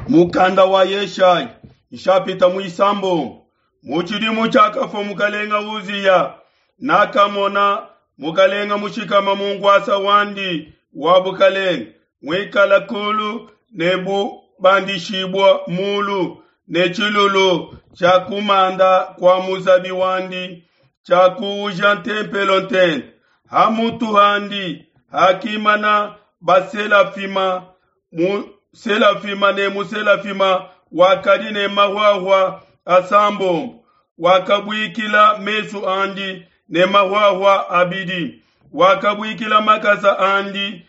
Mukanda wa Yeshaya nshapita muisambombo. Mu tshidimu tshiakafua mukalenga Uziya, nakamona mukalenga mushikama mu nkuasa wandi wa bukalenga, muikala kulu ne bubandishibua mulu, ne tshilulu tshia kumanda kua muzabi wandi tshiakuuja ntempelo ntente. Ha mutu handi hakimana baselafima muselafima ne muselafima wakadi ne mahuahua asambombo, wakabuikila mesu andi ne mahuahua abidi, wakabuikila makasa andi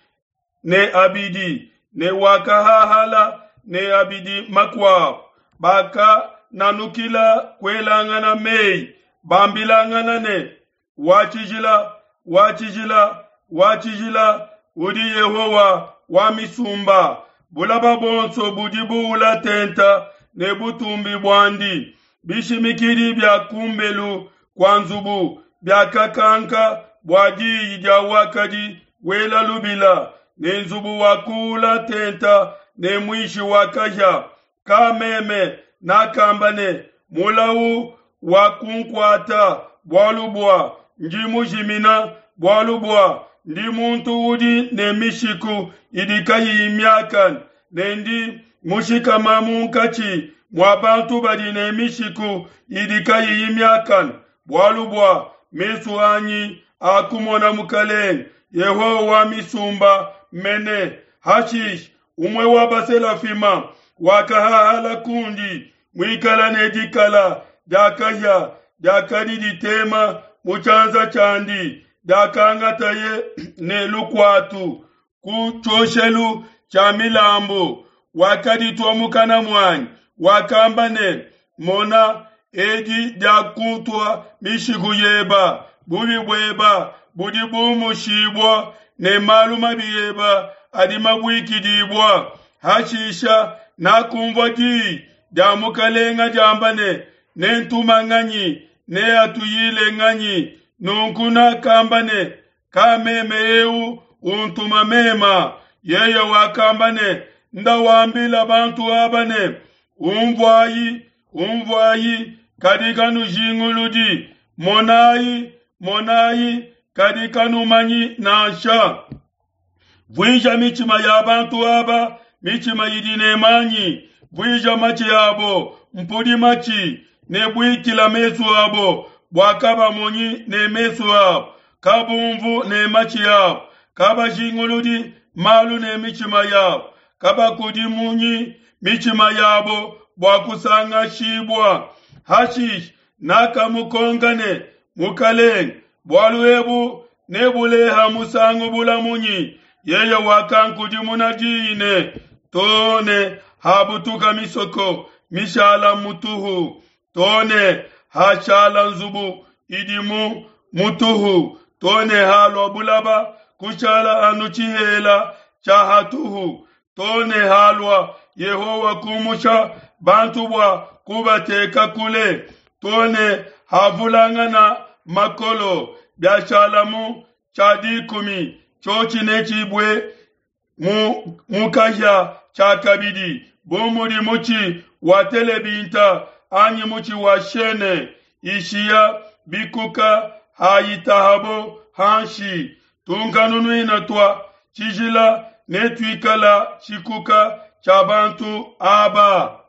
ne abidi, ne wakahahala ne abidi makuabo. Bakananukila kuelangana meyi, bambilangana ne: Wa tshijila, wa tshijila, wa tshijila udi Yehowa wa misumba, bulaba buonso budi buula tenta ne butumbi buandi. Bishimikidi bia kumbelu kua nzubu biakakanka bua diyi dia wakadi wela lubila, ne nzubu wakuula tenta ne muishi wa kahia. Ka meme nakamba ne, Mulau wakunkuata, bualu bua ndi mujimina, bualu bua ndi muntu udi ne mishiku idi kayiyi miakane, ne ndi mushikama munkatshi mua bantu badi ne mishiku idi kayiyi miakane, bualu bua mesu anyi akumona Mukelenge, Yehowa wa misumba mene. Hashishe umue wa baselafima wakahahala kundi, muikala ne dikala dia kahia diakadi ditema mu tshianza tshiandi, diakangataye ne lukuatu ku tshioshelu tshia milambu, wakaditua mukana muanyi, wakamba ne: Mona, edi diakutua mishiku yeba, bubi bueba budi bumushibua, ne malu mabi eba adi mabuikidibua. Hashisha nakunvua di dia Mukalenga diamba ne: Nentuma nganyi, neatuyile nganyi? Nunku nakamba ne: Ka meme eu untuma mema. Yeye wakamba ne: Nda wambila bantu aba ne: Unvuayi, unvuayi, kadi kanujinguludi, monayi, monayi, kadi kanumanyi nansha. Vuija mitshima ya bantu aba mitshima idi ne manyi, vuija matshi abo mpudi matshi, ne buikila mesu abo bua kabamonyi ne mesu abo, kabumvu ne matshi abo, kabajinguludi malu ne mitshima yabo, kabakudimunyi mitshima yabo bua kusangashibua. Hashishe nakamukonka ne: Mukelenge, bualu ebu nebuleha musangu bula munyi? Yeye wakankudimuna diyi ne: Too ne habutuka misoko mishala mutuhu, too ne hashala nzubu idi mu mutuhu, too ne halua bulaba kushala anu tshihela tshia hatuhu, too ne halua Yehowa kumusha bantu bua kubateka kule, too ne havulangana makolo, biashalamu tshia dikumi, tshiotshi netshibue mu kahia tshiakabidi, bu mudi mutshi wa telebinta anyi mutshi wa shene ishiya bikuka hayitahabo hanshi. Tunkanunuina tua tshijila netuikala tshikuka tshia bantu aba.